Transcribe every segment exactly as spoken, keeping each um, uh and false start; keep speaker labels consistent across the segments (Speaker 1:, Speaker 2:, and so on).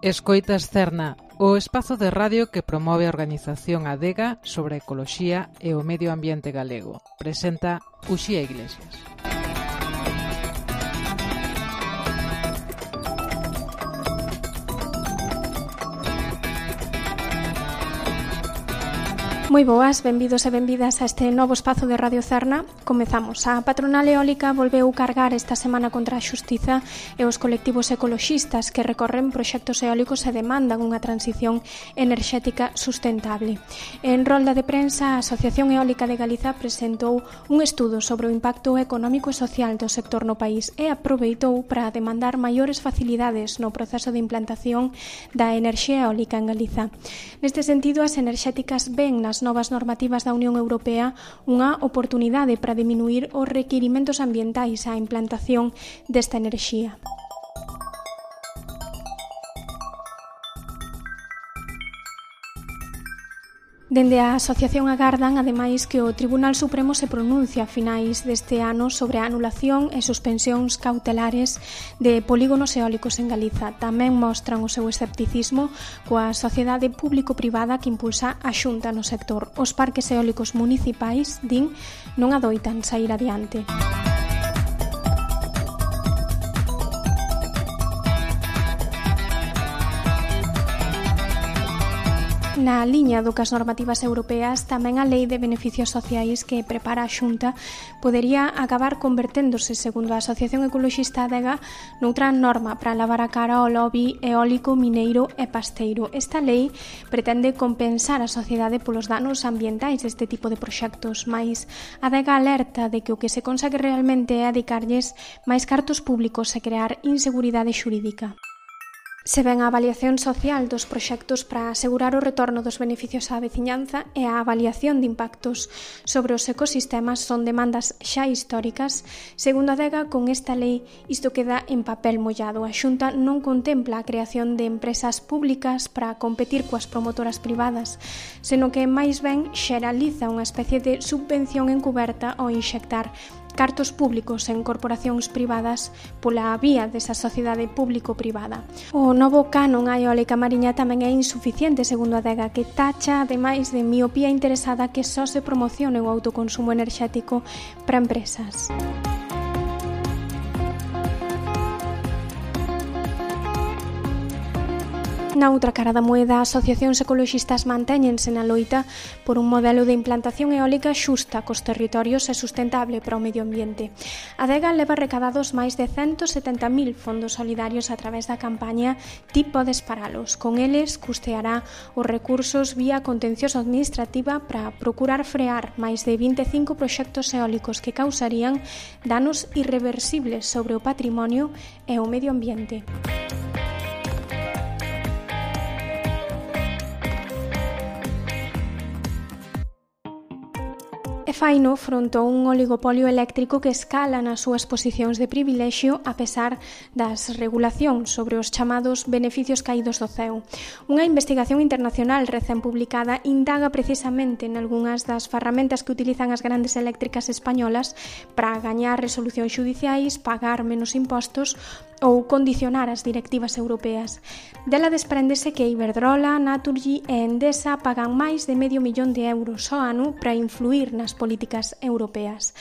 Speaker 1: Escoitas Cerna, o espazo de radio que promove a organización Adega sobre a ecoloxía e o medio ambiente galego. Presenta Uxía Iglesias.
Speaker 2: Moi boas, benvidos e benvidas a este novo espazo de Radio Cerna. Comezamos. A patronal eólica volveu cargar esta semana contra a xustiza e os colectivos ecoloxistas que recorren proxectos eólicos e demandan unha transición enerxética sustentable. En rolda de prensa, a Asociación Eólica de Galiza presentou un estudo sobre o impacto económico e social do sector no país e aproveitou para demandar maiores facilidades no proceso de implantación da enerxía eólica en Galiza. Neste sentido, as enerxéticas ven nas novas normativas da Unión Europea unha oportunidade para diminuir os requirimentos ambientais á implantación desta enerxía. Dende a asociación agardan, ademais, que o Tribunal Supremo se pronuncia a finais deste ano sobre a anulación e suspensións cautelares de polígonos eólicos en Galiza. Tamén mostran o seu escepticismo coa sociedade público-privada que impulsa a Xunta no sector. Os parques eólicos municipais, din, non adoitan saír adiante. Na liña do que as normativas europeas, tamén a Lei de Beneficios Sociais que prepara a Xunta podería acabar converténdose, segundo a Asociación Ecoloxista Adega, noutra norma para lavar a cara ao lobby eólico, mineiro e pasteiro. Esta lei pretende compensar a sociedade polos danos ambientais deste tipo de proxectos, mais Adega alerta de que o que se consegue realmente é adicarlles máis cartos públicos e crear inseguridade xurídica. Se ven a avaliación social dos proxectos para asegurar o retorno dos beneficios á veciñanza e a avaliación de impactos sobre os ecosistemas son demandas xa históricas, segundo Adega, con esta lei isto queda en papel mollado. A Xunta non contempla a creación de empresas públicas para competir coas promotoras privadas, senón que máis ben xeraliza unha especie de subvención encuberta ao inxectar cartos públicos en corporacións privadas pola vía desa sociedade público-privada. O novo canon á eólica mariña tamén é insuficiente, segundo a Adega, que tacha, ademais de miopía interesada, que só se promocione o autoconsumo enerxético para empresas. Na outra cara da moeda, asociacións ecoloxistas mantéñense na loita por un modelo de implantación eólica xusta cos territorios e sustentable para o medio ambiente. A Adega leva recadados máis de ciento setenta mil fondos solidarios a través da campaña Ti podes paralos. Con eles custeará os recursos vía contencioso administrativa para procurar frear máis de vinte e cinco proxectos eólicos que causarían danos irreversibles sobre o patrimonio e o medio ambiente. E faino fronte a un oligopolio eléctrico que escala nas súas posicións de privilexio a pesar das regulacións sobre os chamados beneficios caídos do ceo. Unha investigación internacional recén publicada indaga precisamente en algunhas das ferramentas que utilizan as grandes eléctricas españolas para gañar resolucións xudiciais, pagar menos impostos ou condicionar as directivas europeas. Dela despréndese que Iberdrola, Naturgy e Endesa pagan máis de medio millón de euros ao ano para influir nas políticas europeas.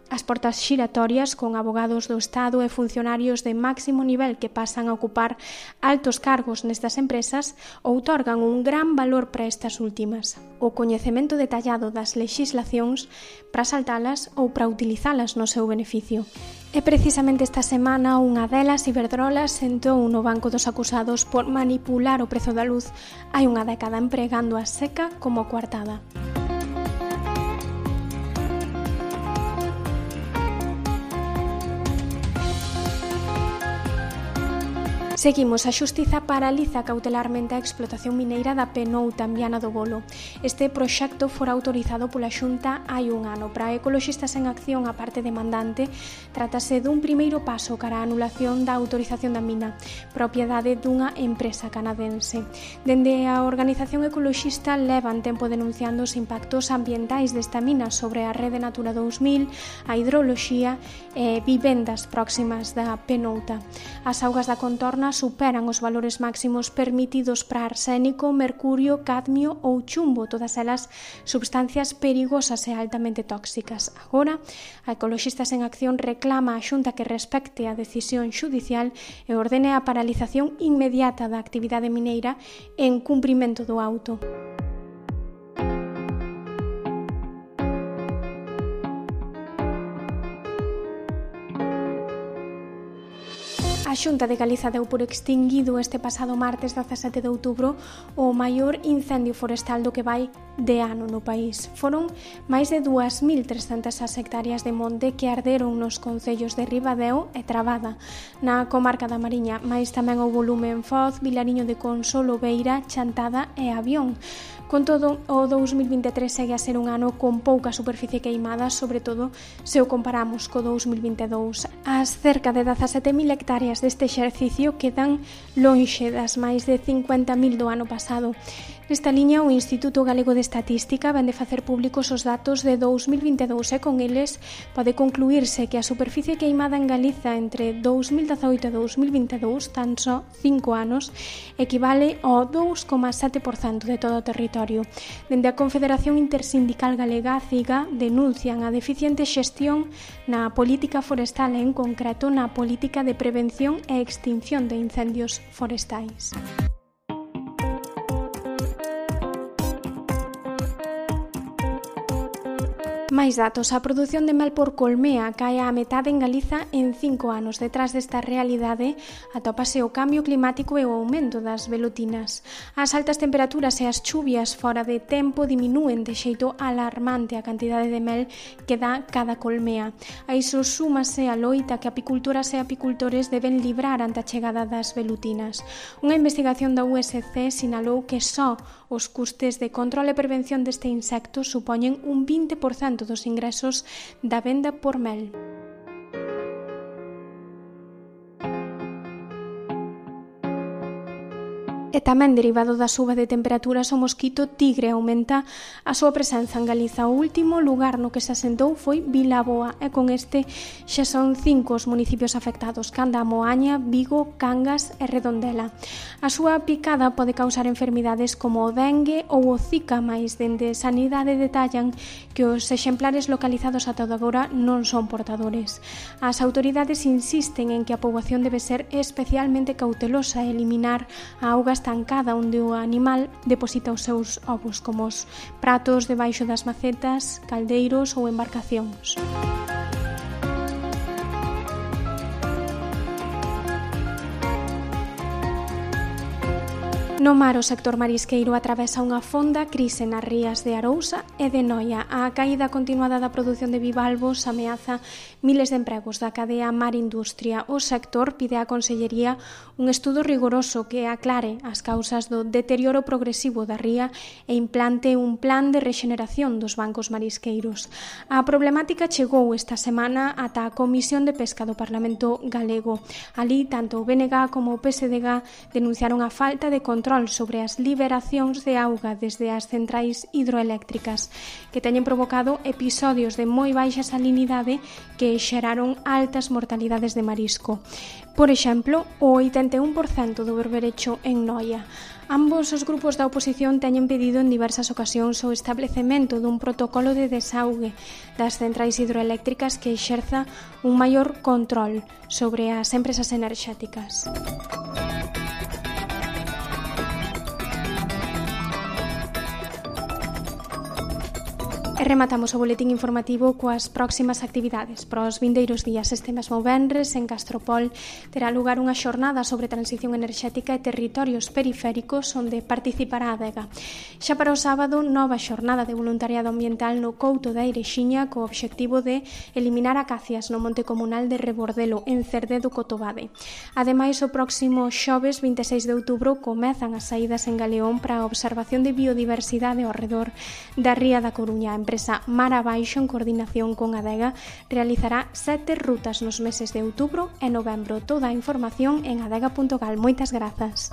Speaker 2: As portas xiratorias con abogados do Estado e funcionarios de máximo nivel que pasan a ocupar altos cargos nestas empresas outorgan un gran valor para estas últimas. O coñecemento detallado das lexislacións para saltalas ou para utilizalas no seu beneficio. E precisamente esta semana unha delas, Iberdrola, sentou no banco dos acusados por manipular o prezo da luz hai unha década empregando a seca como coartada. Seguimos. A xustiza paraliza cautelarmente a explotación mineira da Penouta en Viana do Bolo. Este proxecto fora autorizado pola Xunta hai un ano. Para Ecoloxistas en Acción, a parte demandante, trátase dun primeiro paso cara a anulación da autorización da mina, propiedade dunha empresa canadense. Dende a organización ecoloxista levan tempo denunciando os impactos ambientais desta mina sobre a rede Natura dous mil, a hidroloxía e vivendas próximas da Penouta. As augas da contorna zona superan os valores máximos permitidos para arsénico, mercurio, cadmio ou chumbo, todas elas substancias perigosas e altamente tóxicas. Agora, a Ecoloxistas en Acción reclama á Xunta que respecte a decisión xudicial e ordene a paralización inmediata da actividade mineira en cumprimento do auto. A Xunta de Galiza deu por extinguido este pasado martes dezasete de outubro o maior incendio forestal do que vai de ano no país. Foron máis de dúas mil trescentas hectáreas de monte que arderon nos concellos de Ribadeo e Trabada, na comarca da Mariña, máis tamén o volume en Foz, Vilariño de Consolo, Beira, Chantada e Avión. Con todo, o dous mil vinte e tres segue a ser un ano con pouca superficie queimada, sobre todo se o comparamos co dous mil vinte e dous. As cerca de dezasete mil hectáreas deste exercicio quedan lonxe das máis de cincuenta mil do ano pasado. Nesta liña, o Instituto Galego de Estatística vende facer públicos os datos de dous mil vinte e dous e con eles pode concluírse que a superficie queimada en Galiza entre dous mil dezaoito e dous mil vinte e dous, tan só cinco anos, equivale ao dous coma sete por cento de todo o territorio. Dende a Confederación Intersindical Galega, CIGA, denuncian a deficiente xestión na política forestal e, en concreto, na política de prevención e extinción de incendios forestais. Máis datos. A produción de mel por colmea cae á metade en Galiza en cinco anos. Detrás desta realidade atópase o cambio climático e o aumento das velutinas. As altas temperaturas e as chuvias fora de tempo diminúen de xeito alarmante a cantidade de mel que dá cada colmea. A iso súmase a loita que apicultoras e apicultores deben librar ante a chegada das velutinas. Unha investigación da U S C sinalou que só os custes de control e prevención deste insecto supoñen un vinte por cento dos ingresos da venda por mel. E tamén derivado da suba de temperaturas, o mosquito tigre aumenta a súa presenza en Galiza. O último lugar no que se asentou foi Vilaboa e con este xa son cinco os municipios afectados: Canda, Moaña, Vigo, Cangas e Redondela. A súa picada pode causar enfermidades como o dengue ou o zika, mais dende Sanidade detallan que os exemplares localizados ata agora non son portadores. As autoridades insisten en que a poboación debe ser especialmente cautelosa e eliminar a auga estancada onde o animal deposita os seus ovos, como os pratos debaixo das macetas, caldeiros ou embarcacións. No mar, o sector marisqueiro atravesa unha fonda crise nas rías de Arousa e de Noia. A caída continuada da produción de bivalvos ameaza miles de empregos da cadea Mar Industria. O sector pide á Consellería un estudo rigoroso que aclare as causas do deterioro progresivo da ría e implante un plan de rexeneración dos bancos marisqueiros. A problemática chegou esta semana ata a Comisión de Pesca do Parlamento Galego. Ali, tanto o B N G como o P S D G denunciaron a falta de control sobre as liberacións de auga desde as centrais hidroeléctricas, que teñen provocado episodios de moi baixa salinidade que xeraron altas mortalidades de marisco. Por exemplo, o oitenta e un por cento do berberecho en Noia. Ambos os grupos da oposición teñen pedido en diversas ocasións o establecemento dun protocolo de desaugue das centrais hidroeléctricas que exerza un maior control sobre as empresas enerxéticas. E rematamos o boletín informativo coas próximas actividades. Para os vindeiros días, este mesmo venres, en Castropol, terá lugar unha xornada sobre transición enerxética e territorios periféricos onde participará a Adega. Xa para o sábado, nova xornada de voluntariado ambiental no Couto da Eirexiña co obxectivo de eliminar acacias no monte comunal de Rebordelo, en Cerde do Cotobade. Ademais, o próximo xoves vinte e seis de outubro comezan as saídas en Galeón para a observación de biodiversidade ao redor da Ría da Coruña. A empresa Mar Abaixo, en coordinación con Adega, realizará sete rutas nos meses de outubro e novembro. Toda a información en adega punto gal. Moitas grazas.